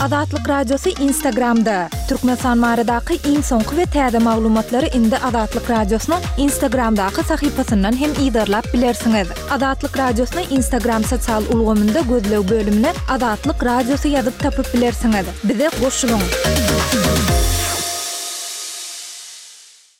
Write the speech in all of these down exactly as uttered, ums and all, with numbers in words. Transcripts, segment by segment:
Azatlyk Radiosy Instagramda! Türkmenistan baradaky iň soňky we täze maglumatlary indi Azatlyk Radiosynyň Instagramdaky sahypasyndan hem yzarlap bilersiňiz. Azatlyk Radiosyny Instagram sosial ulgamynda gözleg bölümine Azatlyk Radiosy ýazyp tapyp bilersiňiz. Bize goşulyň!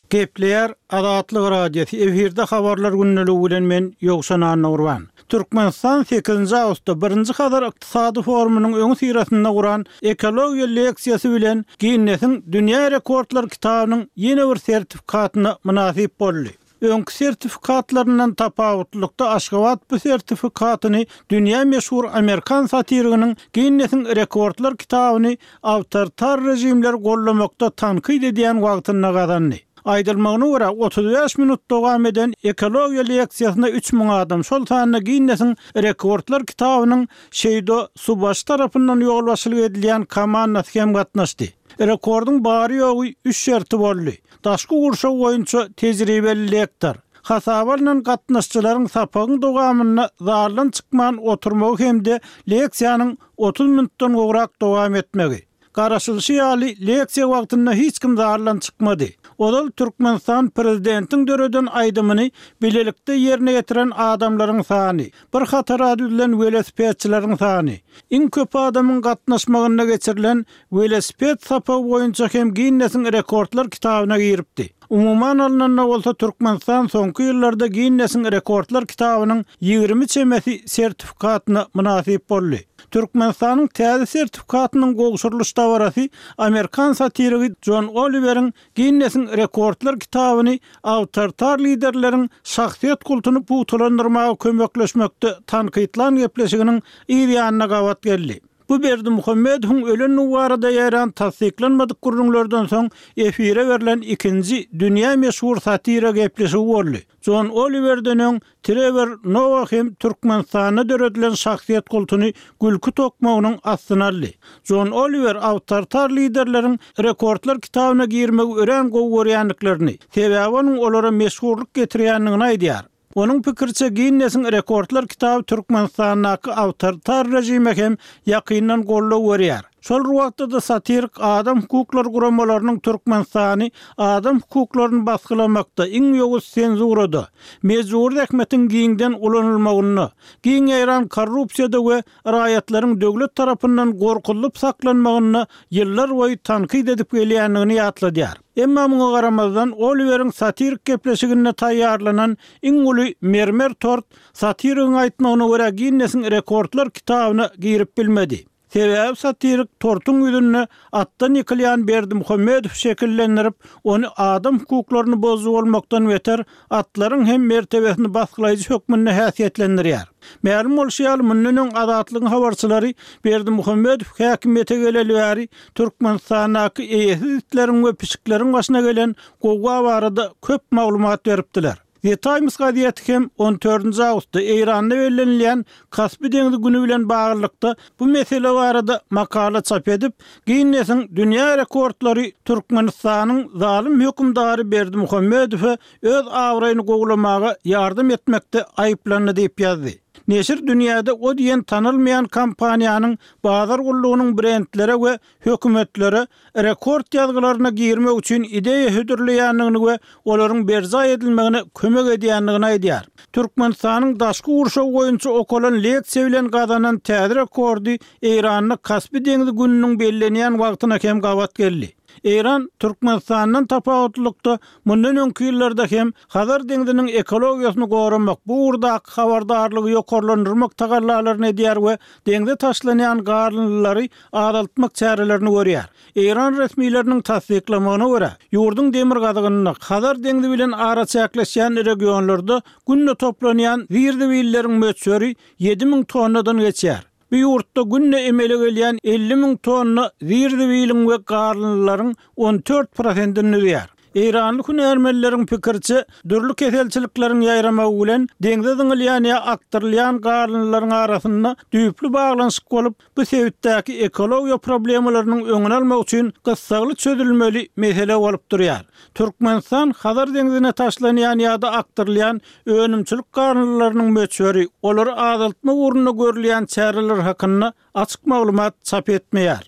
Gepleýär Azatlyk Radiosy efirde habarlar gündeligi bilen men Ýowşan Annagurban. Türkmenistan sekizinji awgustda birinji Hazar ykdysady forumynyň öňüsyrasynda guran ekologiýa leksiýasy bilen Ginnesiň dünýä rekordlar kitabynyň ýene bir sertifikatyna mynasyp boldy. Öňki sertifikatlaryndan tapawutlylykda Aşgabat bu sertifikatyny dünýä meşhur amerikan satiriginiň Ginnesiň rekordlar kitabyny awtoritar režimleri gollamakda tankyt edýän wagtynda gazandy. Aýdylmagyna görä, otuz bäş minut dowam eden ekologiýa leksiýasyna üç müň adam, şol sanda Ginnesiň rekordlar kitabynyň Şeýdo Subaş tarapyndan ýolbaşçylyk edilýän komandasy hem gatnaşdy. Rekordyň bary-ýogy üç şerti boldy. Daşky gurşaw boýunça tejribeli lektor, hasaba alnan gatnaşyjylaryň sapagyň dowamynda zaldan çykman oturmagy hem-de leksiýanyň otuz minutdan gowrak dowam etmegi. Garaşylyşy ýaly, leksiýa wagtynda hiç kim zaldan çykmady. Ozal Türkmenistan prezidentiň döreden aýdymyny bilelikde ýerine ýetiren adamlaryň sany, bir hatara düzülen welosipedçileriň sany, iň köp adamyň gatnaşmagynda geçirilen welosiped sapagy boýunça hem Ginnesiň rekordlar kitabyna giripdi. Umuman alnanda bolsa Türkmenistan soňky ýyllarda Ginnesiň rekordlar kitabynyň ýigrimi çemesi sertifikatyna mynasyp boldy. Türkmenistanyň täze sertifikatynyň gowşurylyş dabarasy amerikan satirigi Jon Oliweriň Ginnesiň rekordlar kitabyny awtoritar liderleriň şahsyýet kultuny pugtalandyrmaga kömekleşmekde tankytlan gepleşiginiň yz ýanyna gabat geldi. Bu Berdimuhamedowyň ölendigi barada ýaýran tassyklanmadyk gürrüňlerden soň efire berlen ikinji dünýä meşhur satira gepleşigi boldy. Jon Oliwerden öň Trewor Noah hem Türkmenistanda döredilen şahsyýet kultuny gülki tokmagynyň astyna aldy. Jon Oliwer awtoritar liderleriň rekordlar kitabyna girmegi örän gowy görýändiklerini, sebäbi onuň olara meşhurlyk getirýändigini aýdýar. Onuň pikiriçe, Ginnesiň rekordlar kitaby Türkmenistandaky awtoritar režime hem ýakyndan goldaw berýär. Şol bir wagtda-da satirik adam hukuklary guramalarynyň Türkmenistany adam hukuklaryny basgylamakda, iň ýowuz senzurada, mejbury zähmetiň giňden ulanylmagynda, giň ýaýran korrupsiýada we raýatlaryň döwlet tarapyndan gorkuzylyp saklanmagynda ýyllarboýy tankyt edip gelýändigini ýatladýar. Emma muňa garamazdan, Oliweriň satirik gepleşiginde taýýarlanan iň uly mermer tort satirigiň aýtmagyna görä Ginnesiň rekordlar kitabyna girip bilmedi. Sebäbi satirik tortuň ýüzünde atdan ýykylýan Berdimuhamedowy şekillendirip, ony adam hukuklaryny bozujy bolmakdan beter, atlaryň hem mertebesini basgylaýjy hökmünde häsiýetlendirýär. Mälim bolşy ýaly, mundan öň Azatlygyň habarçylary Berdimuhamedow häkimiýete geleli bäri Türkmenistandaky eýesiz itleriň we pişikleriň başyna gelen gowga barada köp maglumat beripdiler. The Times gazeti hem on dördünji awgustda Eýranda bellenilýän Kaspi deňzi güni bilen baglylykda bu mesele barada makala çap edip, Ginnesiň dünýä rekordlary Türkmenistanyň zalym hökümdary Berdimuhamedowa öz abraýyny gowulamaga ýardam etmekde aýyplandy diýip ýazdy. Neşir dünýäde o diýen tanalmaýan kompaniýanyň bazar gullugynyň brendlere we hökümetlere rekord ýazgylaryna girmek üçin ideýa hödürleýändigini we olaryň berjaý edilmegine kömek edýändigini aýdýar. Türkmenistanyň daşky gurşaw boýunça okalan leksiýa bilen gazanan täze rekordy Eýranda Kaspi deňzi gününiň bellenýän wagtyna hem gabat geldi. Eýran Türkmenistandan tapawutlylykda mundan öňki ýyllarda hem Hazar deňziniň ekologiýasyny goramak, bu ugurdaky habardarlygy ýokarlandyrmak tagallalaryny edýär we deňze taşlanýan galyndylary azaltmak çärelerini görýär. Eýran resmileriniň tassyklamagyna görä, ýurduň demirgazygynda Hazar deňzi bilen araçäkleşýän regionlarda günde toplanýan zir-zibilleriň möçberi ýedi müň tonnadan geçýär. Bu ýurtda günde emele gelýän elli müň tonna zir-zibiliň we galyndylaryň on dört prosentini düzýär. Eýranly hünärmenleriň pikiriçe, dürli keselçilikleriň ýaýramagy bilen deňze zyňylýan ýa akdyrylýan galyndylaryň arasynda düýpli baglanyşyk bolup, bu sebitdäki ekologiýa problemalarynyň öňüni almak üçin gyssagly çözülmeli mesele bolup durýar. Türkmenistan Hazar deňzine taşlanýan ýa-da akdyrylýan önümçilik galyndylarynyň möçberi, olary azaltmak ugrunda görülýän çäreler hakynda açyk maglumat çap etmeýär.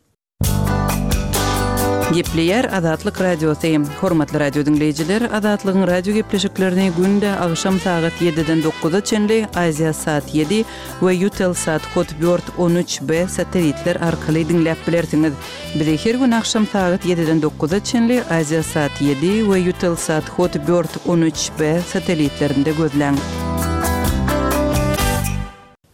Gepleýär Azatlyk Radiosy. Hormatly radio diňleýjiler, Azatlygyň radio gepleşiklerini günde agşam sagat ýediden dokuza çenli Aziasat ýedi we Eutelsat Hotbird on üç B satellitler arkaly diňläp bilersiňiz. Bizi her gün agşam sagat ýediden dokuza çenli Aziasat ýedi we Eutelsat Hotbird on üç B satellitlerinde gözläň.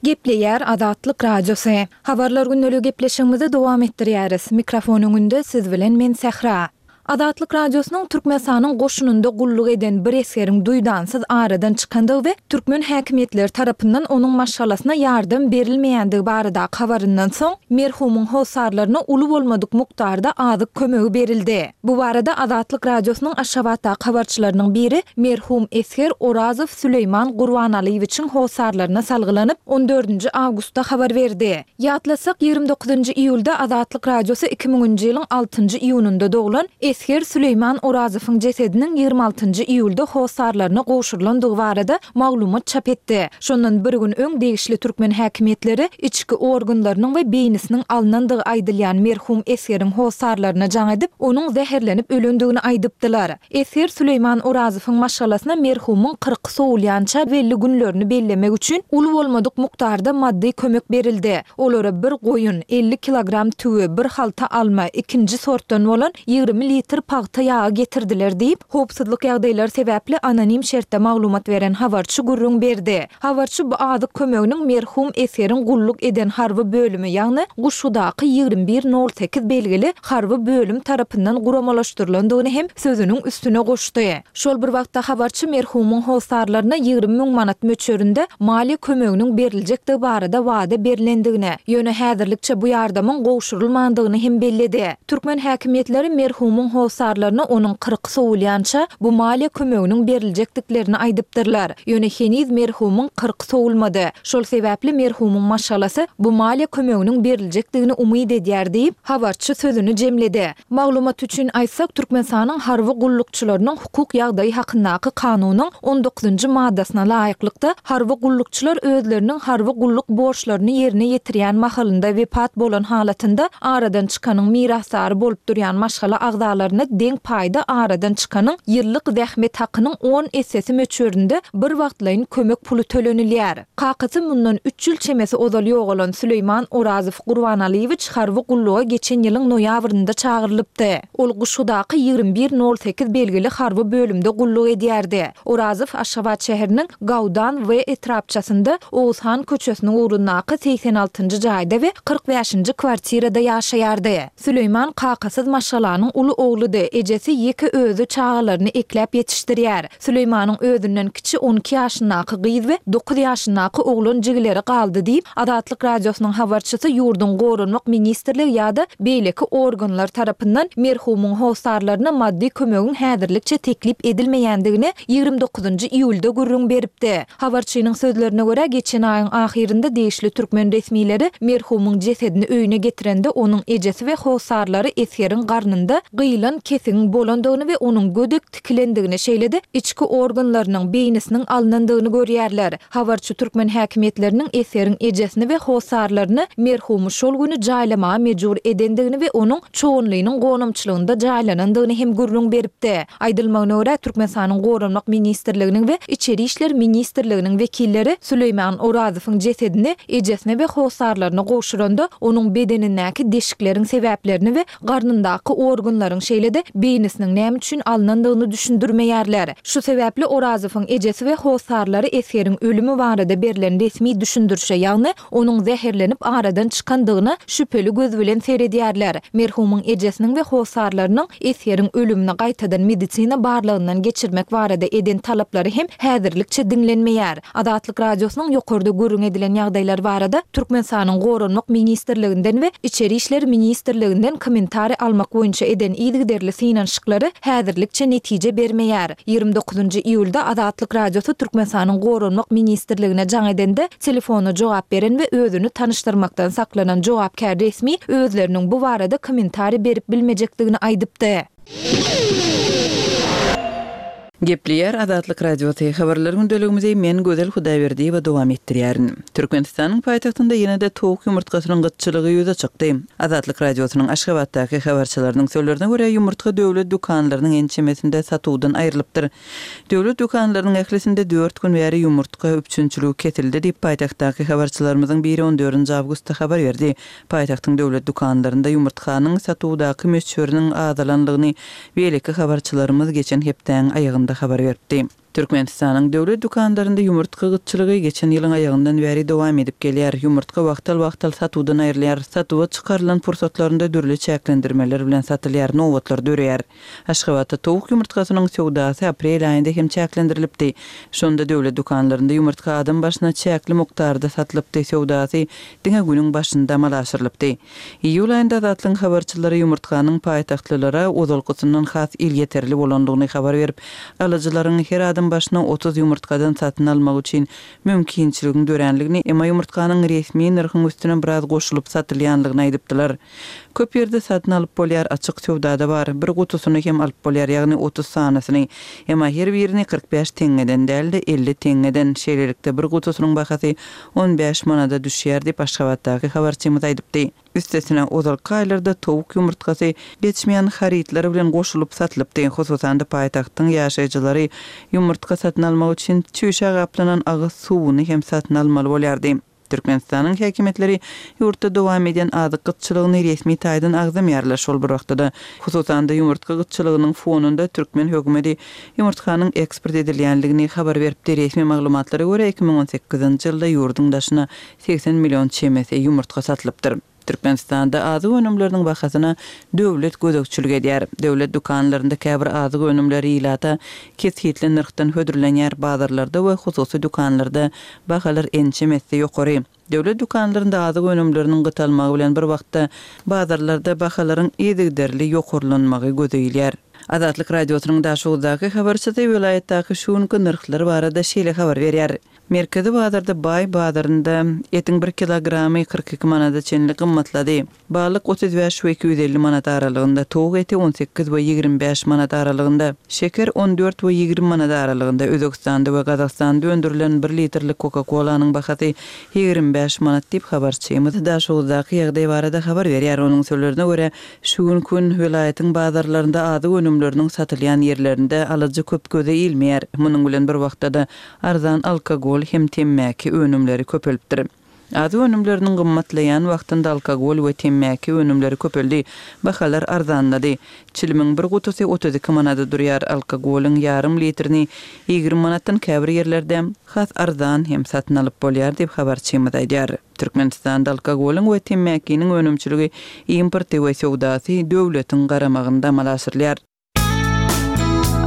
Gepleýär Azatlyk Radiosy. Habarlar günlügi gepleşigimizi dowam etdirýäris. Mikrofon öňünde siz bilen men Sähra. Azatlyk Radiosynyň Türkmenistanyň goşunynda gulluk eden bir esgeriň duýdansyz aradan çykandygy we türkmen häkimiýetleri tarapyndan onuň maşgalasyna ýardam berilmeýändigi barada habaryndan soň merhumyň hossarlaryna uly bolmadyk mukdarda azyk kömegi berildi. Bu barada Azatlyk Radiosynyň Aşgabatdaky habarçylarynyň biri merhum esger Orazow Süleýman Gurbanalyýewiçiň hossarlaryna salgylanyp on dördünji awgustda habar berdi. Ýatlasak, ýigrimi dokuzynjy iýulda Azatlyk Radiosy iki müňünji ýylyň altynjy iýunynda doglan esger Süleýman Orazowyň jesediniň ýigrimi altynjy iýulda hossarlaryna gowşurylandygy barada maglumat çap etdi. Şondan bir gün öň degişli türkmen häkimiýetleri içki organlarynyň we beýnisiniň alnandygy aýdylýan merhum esgeriň hossarlaryna jaň edip, onuň zäherlenip ölendigini aýdypdylar. Esger Süleýman Orazowyň maşgalasyna merhumyň kyrk sowulýança belli günlerini bellemek üçin uly bolmadyk mukdarda maddy kömek berildi. Olara bir goýun, elli kilogram tüwi, bir halta alma, ikinji sortdan bolan ýigrimi litr pagta ýagy getirdiler diýip, howpsuzlyk ýagdaýlary sebäpli anonim şertde maglumat beren habarçy gürrüň berdi. Habarçy bu azyk kömeginiň merhum esgeriň gulluk eden harby bölümi, ýagny Guşgudaky ýigrimi bir nol sekiz belgili harby bölüm tarapyndan guramalaşdyrylandygyny hem sözüniň üstüne goşdy. Şol bir wagtda habarçy merhumyň hossarlaryna ýigrimi müň manat möçberinde maliýe kömeginiň beriljekdigi barada wada berilendigini, ýöne häzirlikçe bu ýardamyň gowşurylmandygyny hem belledi. Türkmen häkimiýetleri merhumyň hossarlaryna onuň kyrk sowulýança bu maliýe kömeginiň beriljekdiklerini aýdypdyrlar. Ýöne heniz merhumyň kyrk sowulmady. Şol sebäpli merhumyň maşgalasy bu maliýe kömeginiň beriljekdigini umyt edýär diýip, habarçy sözüni jemledi. Maglumat üçin aýtsak, Türkmenistanyň harby gullukçylarynyň hukuk ýagdaýy hakyndaky kanunyň on dokuzynjy maddasyna laýyklykda harby gullukçylar özleriniň harby gulluk borçlaryny ýerine ýetirýän mahalynda wepat bolan halatynda aradan çykanyň mirasdary bolup durýan maşgala agzalaryna deň paýda aradan çykanyň ýyllyk zähmet hakynyň on essesi möçberinde bir wagtlaýyn kömek puly tölenilýär. Kakasy mundan üç ýyl çemesi ozal ýogalan Süleýman Orazow Gurbanalyýewiç harby gulluga geçen ýylyň noýabrynda çagyrylypdy. Ol Guşgudaky ýigrimi bir nol sekiz belgili harby bölümde gulluk edýärdi. Orazow Aşgabat şäheriniň Gawdan we etrapçasynda Oguzhan köçesiniň ugrundaky segsen altynjy jaýda we kyrk bäşinji kwartirada ýaşaýardy. Süleýman kakasyz maşgalanyň uly ogludy, ejesi ýeke özi çagalaryny ekläp ýetişdirýär. Süleýmanyň özünden kiçi on iki ýaşyndaky gyz we dokuz ýaşyndaky oglan jigileri galdy diýip, Azatlyk Radiosynyň habarçysy ýurduň Goranmak ministrligi ýa-da beýleki organlar tarapyndan merhumyň hossarlaryna maddy kömegiň häzirlikçe teklip edilmeýändigini ýigrimi dokuzynjy iýulda gürrüň beripdi. Habarçynyň sözlerine görä, geçen aýyň ahyrynda degişli türkmen resmileri merhumyň jesedini öýüne getirende onuň ejesi we hossarlary esgeriň garnynda gyýylan kesigiň bolandygyny we onuň gödek tikilendigini, şeýle-de içki organlarynyň beýnisiniň alnandygyny görýärler. Habarçy türkmen häkimiýetleriniň esgeriň ejesini we hossarlaryny merhumy şol güni jaýlamaga mejbur edendigini we onuň çoganlynyň gonamçylygynda jaýlanandygyny hem gürrüň beripdi. Aýdylmagyna görä, Türkmenistanyň Goranmak ministrliginiň we Içeri işler ministrliginiň wekilleri Süleýman Orazowyň jesedini ejesine we hossarlaryna gowşuranda onuň bedenindäki deşikleriň sebäplerini we garnyndaky organlaryň şeýle-de beýnisiniň näme üçin alnandygyny düşündirmeýärler. Şu sebäpli Orazowyň ejesi we hossarlary esgeriň ölümi barada berlen resmi düşündirişe, ýagny onuň zäherlenip aradan çykandygyna şübheli göz bilen seredýärler. Merhumyň ejesiniň we hossarlarynyň esgeriň ölümini gaýtadan medisina barlagyndan geçirmek barada eden talaplary hem häzirlikçe diňlenmeýär. Azatlyk Radiosynyň ýokarda gürrüň edilen ýagdaýlar barada Türkmenistanyň Goranmak ministrliginden we Içeri işler ministrliginden kommentariý almak boýunça eden yzygiderli synanyşyklary häzirlikçe netije bermeýär. Ýigrimi dokuzynjy iýulda Azatlyk Radiosy Türkmenistanyň Goranmak ministrligine jaň edende telefona jogap beren we özüni tanyşdyrmakdan saklanan jogapkär resmi özleriniň bu barada kommentariý berip bilmejekdigini aýdypdy. Gepleýär Azatlyk Radiosy, Habarlar gündeligimizi men Gözel Hudaýberdiýewa dowam etdirýärin. Türkmenistanyň paýtagtynda ýene-de towuk ýumurtgasynyň gytçylygy ýüze çykdy. Azatlyk Radiosynyň Aşgabatdaky habarçylarynyň sözlerine görä, ýumurtga döwlet dükanlarynyň ençemesinde satuwdan aýrylypdyr. Döwlet dükanlarynyň ählisinde dört gün bäri ýumurtga üpjünçiligi kesildi diýip, paýtagtdaky habarçylarymyzyň biri on dördünji awgustda habar berdi. Paýtagtyň döwlet dükanlarynda ýumurtganyň satuwdaky möçberiniň azalandygyny beýleki habarçylarymyz geçen hepdäň aýagynda habar beripdi. Türkmenistanyň döwlet dükanlarynda ýumurtga gytçylygy geçen ýylyň aýagyndan bäri dowam edip gelýär. Ýumurtga wagtal-wagtal satuwdan aýrylýar, satuwa çykarylan pursatlarynda dürli çäklendirmeler bilen satylýar, nobatlar döreýär. Aşgabatda towuk ýumurtgasynyň söwdasy aprel aýynda hem çäklendirilipdi. Şonda döwlet dükanlarynda ýumurtga adam başyna çäkli mukdarda satylypdy, söwdasy diňe günüň başynda amala aşyrylypdy. Iýul aýynda Azatlygyň habarçylary ýumurtganyň paýtagtlylara ozalkysyndan has elýeterli bolandygyny habar berip, alyjylaryň her adam başyna otuz ýumurtgadan satyn almagy üçin mümkinçiligiň döränligini, emma ýumurtganyň resmi nyrhyň üstüne biraz goşulyp satylýanlygyny aýdypdylar. Köp ýerde satyn alyp bolýar, açyk söwdada bar, bir gutusyny hem alyp bolýar, ýagny otuz sanysyny. Emma her birini kyrk bäş teňňeden däl-de, elli teňňeden, şeýlelikde bir gutusynyň bahasy on bäş manada düşýär diýip, Aşgabatdaky habarçymyz aýdypdy. Üstesine, ozalky aýlarda towuk ýumurtgasy geçmeýän harytlar bilen goşulyp satylypdy. Hususan-da, paýtagtyň ýaşaýjylary ýumurtga satyn almak üçin çüýşä gaplanan agyz suwuny hem satyn almaly bolýardy. Türkmenistanyň häkimiýetleri ýurtda dowam edýän azyk gytçylygyny resmi taýdan agzamaýarlar. Şol bir wagtda-da, hususan-da, ýumurtga gytçylygynyň fonunda türkmen hökümeti ýumurtganyň eksport edilýändigini habar beripdi. Resmi maglumatlara görä, iki müň on sekizinji ýylda ýurduň daşyna segsen million çemesi ýumurtga satylypdyr. Türkmenistanda azyk önümleriniň bahasyna döwlet gözegçilik edýär. Döwlet dükanlarynda käbir azyk önümleri ilata kesgitli nyrhdan hödürlenýär, bazarlarda we hususy dükanlarda bahalar ençeme esse ýokary. Döwlet dükanlarynda azyk önümleriniň gytalmagy bilen bir wagtda bazarlarda bahalaryň yzygiderli ýokarlanmagy göze ilýär. Azatlyk Radiosynyň Daşoguzdaky habarçysy welaýatdaky şu günki nyrhlar barada şeýle habar berýär. Merkezi bazarda Baý bazarynda etiň bir kilogramy kyrk iki manada çenli gymmatlady. Balyk otuz bäş we iki ýüz elli manat aralygynda, towuk eti on sekiz we ýigrimi bäş manat aralygynda, şeker on dört we ýigrimi manat aralygynda, Özbegistanda we Gazagystanda öndürilen bir litrlik Coca-Cola-nyň bahasy ýigrimi bäş manat diýip, habarçymyz Daşoguzdaky ýagdaý barada habar berýär. Onuň sözlerine görä, şu günki gün welaýatyň bazarlarynda azyk önümleriniň satylýan ýerlerinde alyjy köp göze ilmeýär. Munuň bilen bir wagtda-da arzan alkogol hem temmäki önümleri köpelipdir. Azyk önümleriniň gymmatlaýan wagtynda alkogol we temmäki önümleri köpeldi, bahalar arzanlady. Çilimiň bir gutusy otuz iki manada durýar, alkogolyň ýarym litrini ýigrimi manatdan käbir ýerlerde has arzan hem satyn alyp bolýar diýip, habarçymyz aýdýar. Türkmenistanda alkogolyň we temmäkiniň önümçiligi, importy we söwdasy döwletiň garamagynda amala aşyrylýar.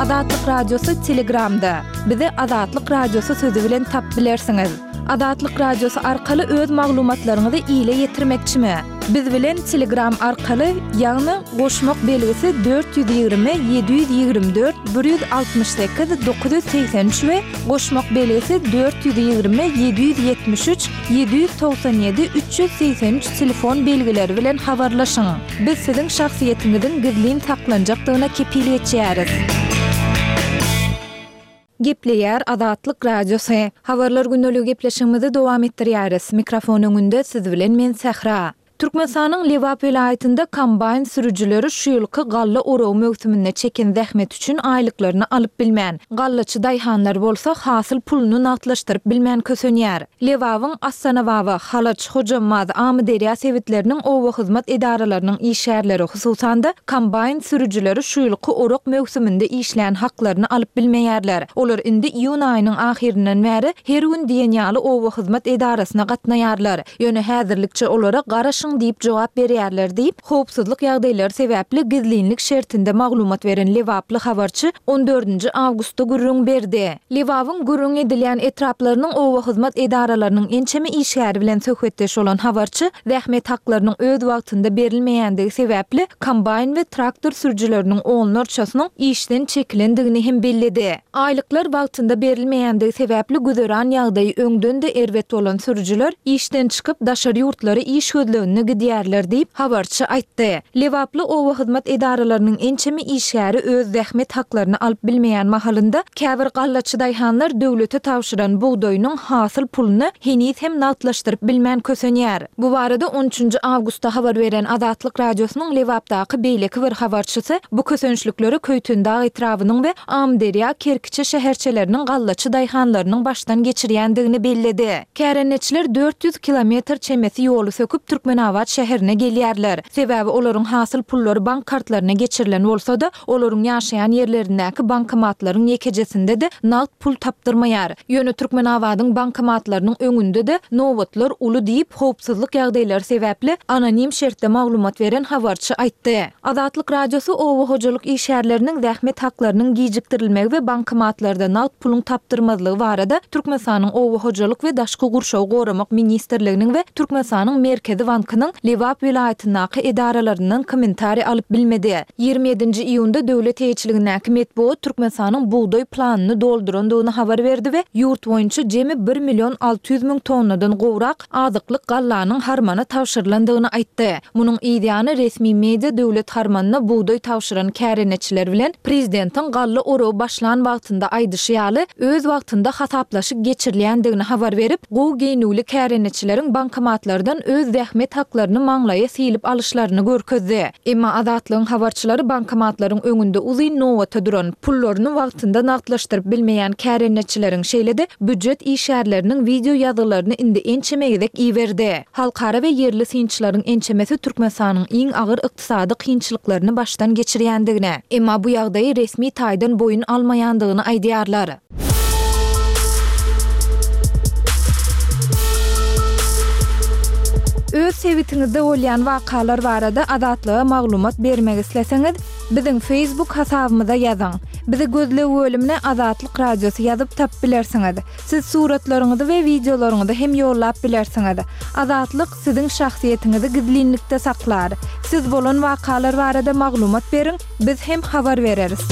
Azatlyk Radiosy Telegramda. Bizi Azatlyk Radiosy sözi bilen tap bilersiňiz. Azatlyk Radiosy arkaly öz maglumatlaryňyzy ile ýetirmekçimi? Biz bilen Telegram arkaly, ýagny goşmak belgisi dört ýüz ýigrimi, ýedi ýüz ýigrimi dört, bir ýüz altmyş sekiz, dokuz ýüz segsen üç we goşmak belgisi dört ýüz ýigrimi, ýedi ýüz ýetmiş üç, ýedi ýüz togsan ýedi, üç ýüz segsen üç telefon belgileri bilen habarlaşyň. Biz siziň şahsyýetiňiziň gizlin saklanjakdygyna kepil geçýäris. Gepleýär Azatlyk Radiosy. Habarlar gündeligi gepleşigimizi dowam etdirýäris. Mikrofon öňünde siz bilen men Sähra. Türkmenistanyň Lebap welaýatynda kombaýn sürüjileri şu ýylky galla oragy möwsüminde çeken zähmeti üçin aýlyklaryny alyp bilmän, gallaçy daýhanlar bolsa hasyl puluny nagtlaşdyryp bilmän kösenýär. Lebabyň Astanababa, Halaç, Hojambaz, Amyderýa sebitleriniň oba hyzmat edaralarynyň işgärleri, hususan-da, kombaýn sürüjileri şu ýylky orak möwsüminde işlän haklaryny alyp bilmeýärler. Olar indi iýun aýynyň ahyryndan bäri her gün diýen ýaly oba hyzmat edarasyna gatnaýarlar. Ýöne häzirlikçe olara garaşyň diýip jogap berýärler diýip, howpsuzlyk ýagdaýlary sebäpli gizlinlik şertinde maglumat beren lebaply habarçy on dördünji awgustda gürrüň berdi. Lebabyň gürrüň edilýän etraplarynyň oba hyzmat edaralarynyň ençeme işgäri bilen söhbetdeş bolan habarçy zähmet haklarynyň öz wagtynda berilmeýändigi sebäpli kombaýn we traktor sürüjileriniň onlarçasynyň işden çekilendigini hem belledi. Aýlyklar wagtynda berilmeýändigi sebäpli güzeran ýagdaýy öňden-de erbet bolan sürüjiler işden çykyp, daşary ýurtlara iş gözleginde öýlerine gidýärler diýip, habarçy aýtdy. Lebaply oba hyzmat edaralarynyň ençeme işgäri öz zähmet haklaryny alyp bilmeýän mahalynda, käbir gallaçy daýhanlar döwlete tabşyran bugdaýynyň hasyl puluny heniz hem nagtlaşdyryp bilmän kösenýär. Bu barada on üçünji awgustda habar beren Azatlyk Radiosynyň Lebapdaky beýleki bir habarçysy bu kösençlikleri Köýtendag etrabynyň we Amyderýa, Kerkiçe şäherçeleriniň gallaçy daýhanlarynyň başdan geçirýändigini belledi. Kärendeçiler dört ýüz kilometr çemesi ýoly söküp Türkmenabat şäherine gelýärler. Sebäbi olaryň hasyl pullary bank kartlaryna geçirilen bolsa-da, olaryň ýaşaýan ýerlerindäki bankomatlaryň ýekejesinde-de nagt pul tapdyrmaýar. Ýöne Türkmenabadyň bankomatlarynyň öňünde-de nobatlar uly diýip, howpsuzlyk ýagdaýlary sebäpli anonim şertde maglumat beren habarçy aýtdy. Azatlyk Radiosy oba hojalyk işgärleriniň zähmet haklarynyň gijikdirilmegi we bankomatlarda nagt puluň tapdyrmazlygy barada Türkmenistanyň Oba hojalyk we daşky gurşawy goramak ministrliginiň we Türkmenistanyň Merkezi bankynyň Lebap welaýatyndaky edaralaryndan kommentariý alyp bilmedi. Ýigrimi ýedinji iýunda döwlet eýeçiligindäki metbugat Türkmenistanyň bugdaý planyny doldurandygyny habar berdi we ýurt boýunça jemi bir million alty ýüz müň tonnadan gowrak azyklyk gallanyň harmana tabşyrylandygyny aýtdy. Munuň yz ýany resmi media döwlet harmanyna bugdaý tabşyran kärendeçiler bilen prezidentiň galla oragy başlan wagtynda aýdyşy ýaly, öz wagtynda hasaplaşyk geçirilýändigini habar berip, gowy geýnüwli kärendeçileriň bankomatlardan öz zähmet haklaryny maňlaýa sylyp alyşlaryny görkezdi. Emma Azatlygyň habarçylary bankomatlaryň öňünde uzyn nobata duran, pullaryny wagtynda nagtlaşdyryp bilmeýän kärendeçileriň, şeýle-de býujet işgärleriniň wideo ýazgylaryny indi ençeme gezek iberdi. Halkara we ýerli synçylaryň ençemesi Türkmenistanyň iň agyr ykdysady kynçylyklaryny başdan geçirýändigini, emma bu ýagdaýy resmi taýdan boýun almaýandygyny aýdýarlar. Öz sebitiňizde bolýan wakalar barada Azatlyga maglumat bermek isleseňiz, biziň Facebook hasabymyza ýazyň. Bizi gözleg bölümine Azatlyk Radiosy ýazyp tapyp bilersiňiz. Siz suratlaryňyzy we wideolaryňyzy hem ýollap bilersiňiz. Azatlyk siziň şahsyýetiňizi gizlinlikde saklar. Siz bolan wakalar barada maglumat beriň, biz hem habar bereris.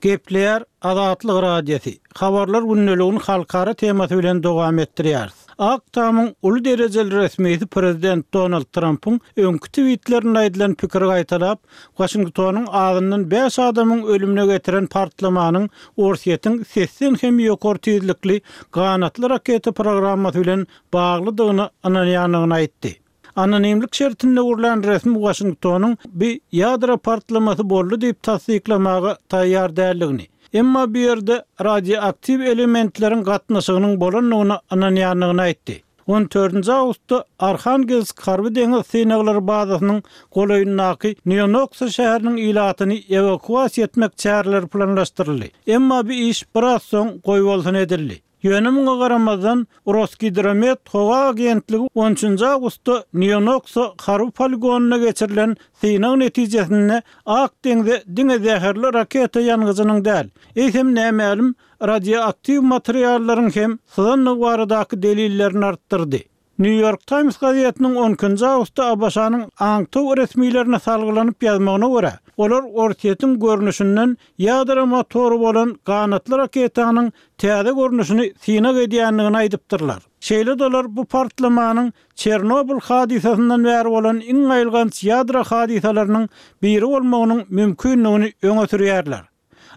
Gepleýär Azatlyk Radiosy. Habarlar gündeligini halkara temasy bilen dowam etdirýäris. Ak Tamyň uly derejeli resmisi prezident Donald Trumpyň öňki tweetlerinde aýdylan pikiri gaýtalap, Washingtonyň azyndan bäş adamyň ölümine getiren partlamanyň Orsýetiň sesden hem ýokary tizlikli ganatly raketa programmasy bilen baglydygyny ynanýandygyny aýtdy. Anonimlik şertinde gurlan resmi Washingtonyň bir ýadro partlamasy boldy diýip tassyklamaga taýýar däldigini, emma bu ýerde radioaktiw elementleriň gatnaşygynyň bolandygyny ynanýandygyny aýtdy. On dördünji awgustda Arhangelsk harby deňiz synaglary bazasynyň golaýyndaky Nýonoksa şäheriniň ilatyny ewakuasiýa etmek çäreleri planlaşdyryldy. Emma bu iş biraz soň goýbolsun edildi. Ýöne muňa garamazdan Rosgidromet howa agentligi on üçünji awgustda Nýonoksa harby poligonyna geçirilen synag netijesinde Ak deňze diňe zäherli raketa ýangyjynyň däl, eýsem nämälim radioaktiw materiallaryň hem syzandygy baradaky delillerini artdyrdy. New York Times gazetiniň on ikinji awgustda ABŞ-nyň aňtaw resmilerine salgylanyp ýazmagyna görä, olar Orsýetiň görnüşinden ýadro motory bolan ganatly raketanyň täze görnüşini synag edýändigini aýdypdyrlar. Şeýle-de olar bu partlamanyň Çernobyl hadysasyndan bäri bolan iň aýylganç ýadro hadysalarynyň biri bolmagynyň mümkindigini öňe sürýärler.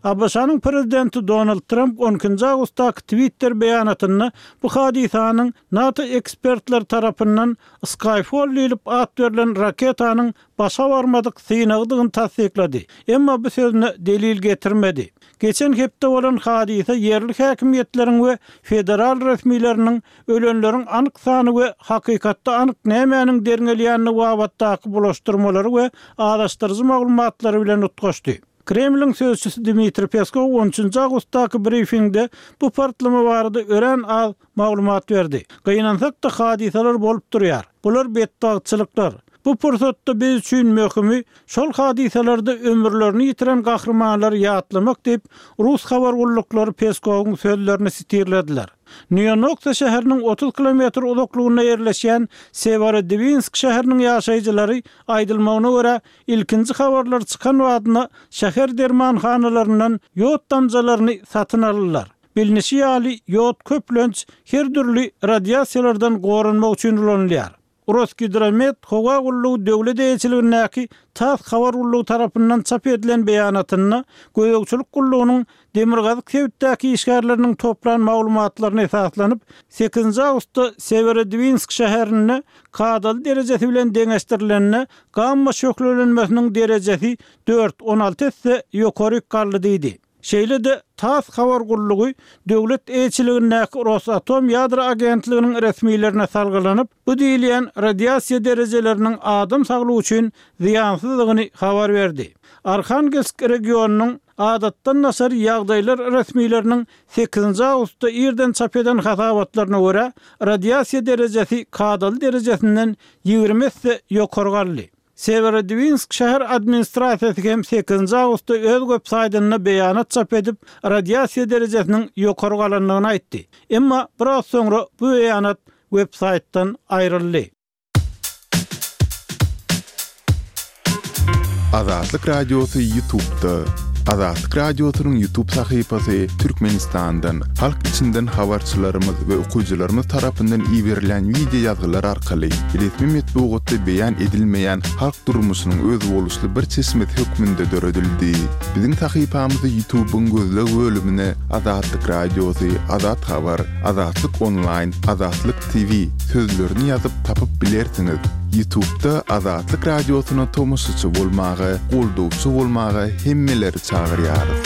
ABŞ-nyň prezidenti Donald Trump on ikinji awgustdaky Twitter beýanatynda bu hadysanyň NATO ekspertleri tarapyndan Skyfall diýlip at berlen raketanyň başa barmadyk synagydygyny tassyklady. Emma bu sözüne delil getirmedi. Geçen hepde bolan hadysa ýerli häkimiýetleriň we federal resmileriniň ölenleriň anyk sany we hakykatda anyk nämäniň derňelýändigi babatdaky bulaşdyrmalary we azaşdyryjy maglumatlary bilen utgaşdy. Kremliň sözçüsi Dmitri Peskow on üçünji awgustdaky brifingde bu partlama barada örän az maglumat berdi. Gynansak-da hadysalar bolup durýar. Bular betbagtçylyklar. Bu pursatda biz üçin möhümi şol hadysalarda ömürlerini ýitiren gahrymanlary ýatlamak diýip, Rus habar gulluklary Peskowyň sözlerini sitirlediler. Nýonoksa şäheriniň otuz kilometr uzaklygynda ýerleşýän Severodvinsk şäheriniň ýaşaýjylary aýdylmagyna görä, ilkinji habarlar çykan badyna şäher dermanhanalaryndan ýod damjalaryny satyn aldylar. Bilnişi ýaly, ýod köplenç her dürli radiasiýalardan goranmak üçin ulanylýar. Rosgidromet howa gullugy döwlet eýeçiligindäki TASS habar gullugy tarapyndan çap edilen beýanatynda gözegçilik gullugynyň Demirgazyk sebitdäki işgärleriniň toplan maglumatlaryna esaslanyp, sekizinji awgustda Sewerodwinsk şäherinde kadaly derejesi bilen deňeşdirilende gamma şöhlelenmesiniň derejesi dört, on alty esse ýokaryk galdy diýdi. Şeýle-de, TASS habar gullugy döwlet eýeçiligindäki Rosatom ýadro agentliginiň resmilerine salgylanyp, bu diýilýän radiasiýa derejeleriniň adam saglygy üçin zyýansyzdygyny habar berdi. Arhangelsk regionynyň adatdan daşary ýagdaýlar resmileriniň sekizinji awgustda irden çap eden hasabatlaryna görä, radiasiýa derejesi kadaly derejesinden ýigrimi esse ýokary galdy. Sewerodwinsk şäher administrasiýasy hem sekizinji awgustda öz web saýtynda beýanat çap edip, radiasiýa derejesiniň ýokary galandygyny aýtdy. Emma biraz soňra bu beýanat web saýtdan aýryldy. Azatlyk Radiosy YouTube'da. Azatlyk Radiosynyň YouTube sahypasy Türkmenistandan, halk içinden habarçylarymyz we okyjylarymyz tarapyndan iberilen wideo ýazgylar arkaly resmi metbugatda beýan edilmeýän halk durmuşynyň özboluşly bir çeşmesi hökmünde döredildi. Biziň sahypamyzy YouTube'yň gözleg bölümine Azatlyk Radiosy, Azat Habar, Azatlyk Online, Azatlyk T V sözlerini ýazyp tapyp bilersiňiz. YouTube'da Azatlyk Radiosyna tomaşaçy bolmaga, goldawçy bolmaga hemmeleri çagyrýarys.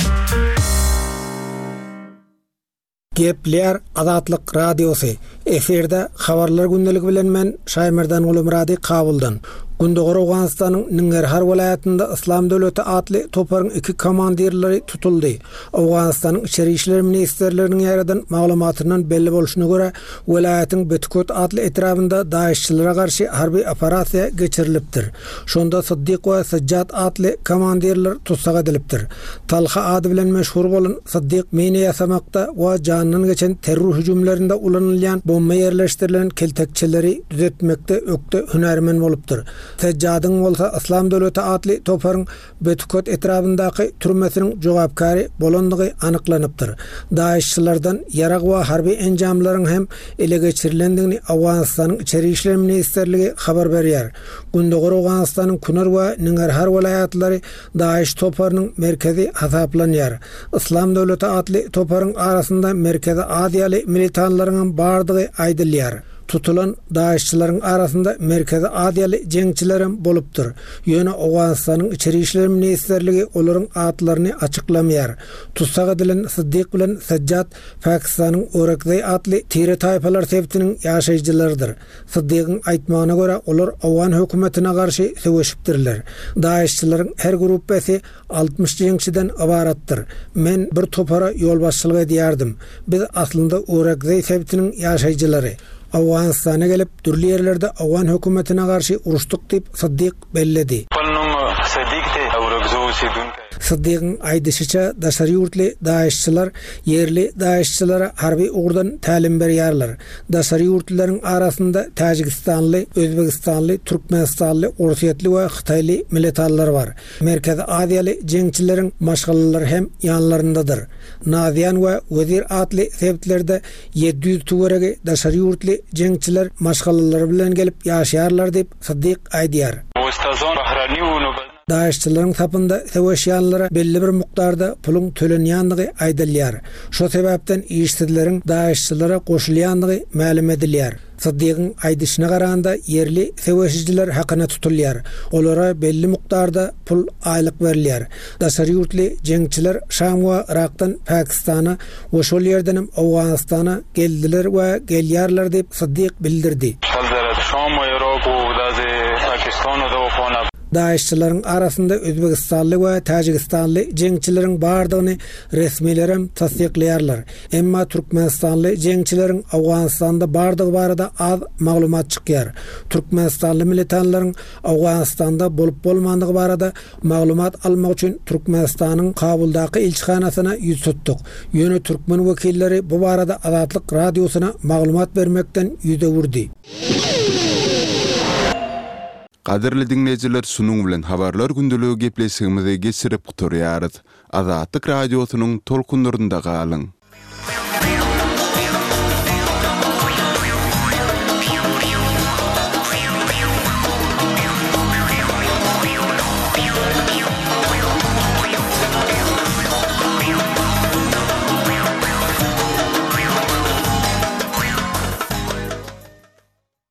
Gepler Azatlyk Radiosy. Efirde habarlar gündeligi bilen men Şaýmerdan Gulumyrady Kabuldan. Gündogar Owganystanyň Ningerhar welaýatynda Islam döwleti atly toparyň iki komandirleri tutuldy. Owganystanyň Içeri işler ministrliginiň ýaradan maglumatyndan belli bolşuna görä, welaýatyň Betkut atly etrabynda DAEŞ-çilere garşy harby operasiýa geçirilipdir. Şonda Siddiq we Sajjad atly komandirler tutsak edilipdir. Talha ady bilen meşhur bolan Siddiq mine ýasamakda we jandan geçen terror hüjümlerinde ulanylýan bomba ýerleşdirilen keltekçeleri düzetmekde ökde hünärmen bolupdyr. Sajjadyň bolsa Islam döwleti atly toparyň Betkut etrabyndaky türmesiniň jogapkary bolandygy anyklanypdyr. DAEŞ-çilerden ýarag we harby enjamlaryň hem ele geçirilendigini Owganystanyň Içeri işler ministrligi habar berýär. Gündogar Owganystanyň Kunar we Ningerhar welaýatlary DAEŞ toparynyň merkezi hasaplanýar. Islam döwleti atly toparyň arasynda Merkezi Aziýaly militanlaryň hem bardygy aýdylýar. Tutulan DAEŞ-çileriň arasynda Merkezi Aziýaly jeňçiler hem bolupdyr. Ýöne Owganystanyň Içeri işler ministrligi olaryň atlaryny açyklamaýar. Tutsak edilen Siddiq bilen Sajjad Pakistanyň Orakzai atly tire taýpalar sebitiniň ýaşaýjylarydyr. Siddiqiň aýtmagyna görä olar Owgan hökümetine garşy söweşipdirler. DAEŞ-çileriň her gruppasy altmyş jeňçiden ybaratdyr. Men bir topara ýolbaşçylyk edýärdim. Biz aslynda Orakzai sebitiniň ýaşaýjylary. Owganystana gelip dürli ýerlerde Owgan hökümetine garşy uruşdyk diýip Siddiq belledi. Siddiqiň aýdyşyça daşary ýurtly DAEŞ-çiler ýerli DAEŞ-çilere harby ugurdan tälim berýärler. Daşary ýurtlylaryň arasynda Täjigistanly, Özbegistanly, Türkmenistanly, Orsýetli we Hytaýly militanlar bar. Merkezi Aziýaly jeňçileriň maşgalalary hem ýanlaryndadyr. Naziýan we Wezir atly sebitlerde ýedi ýüz töweregi daşary ýurtly jeňçiler maşgalalary bilen gelip ýaşaýarlar diýip Siddiq aýdýar. DAEŞ-çileriň sapynda söweşýänlere belli bir mukdarda puluň tölenýänligi aýdylýar. Şo sebäpden işsizleriň DAEŞ-çilere goşulýanlygy mälim edilýär. Siddiqiň aýdyşyna garanda ýerli söweşijiler hakyna tutulýar. Olara belli mukdarda pul aýlyk berilýär. Daşary ýurtly jeňçiler Şam we Irakdan Pakistana we şol ýerden hem Owganystana geldiler we gelýärler diýip Siddiq bildirdi. DAEŞ-çileriň arasynda Özbegistanly we Täjigistanly jeňçileriň bardygyny resmilerem tassyklaýarlar. Emma Türkmenistanly jeňçileriň Owganystanda bardygy barada az maglumat çykýar. Türkmenistanly militanlaryň Owganystanda bolup bolmandygy barada maglumat almak üçin Türkmenistanyň Kabuldaky ilçihanasyna ýüz tutduk. Ýöne türkmen wekilleri bu barada Azatlyk Radiosyna maglumat bermekden ýüz öwürdi. Gadyrly dinleýjiler, şunuň bilen habarlar gündeligi gepleşigimizi geçirip gutarýarys. Azatlyk Radiosynyň tolkunlarynda galyň.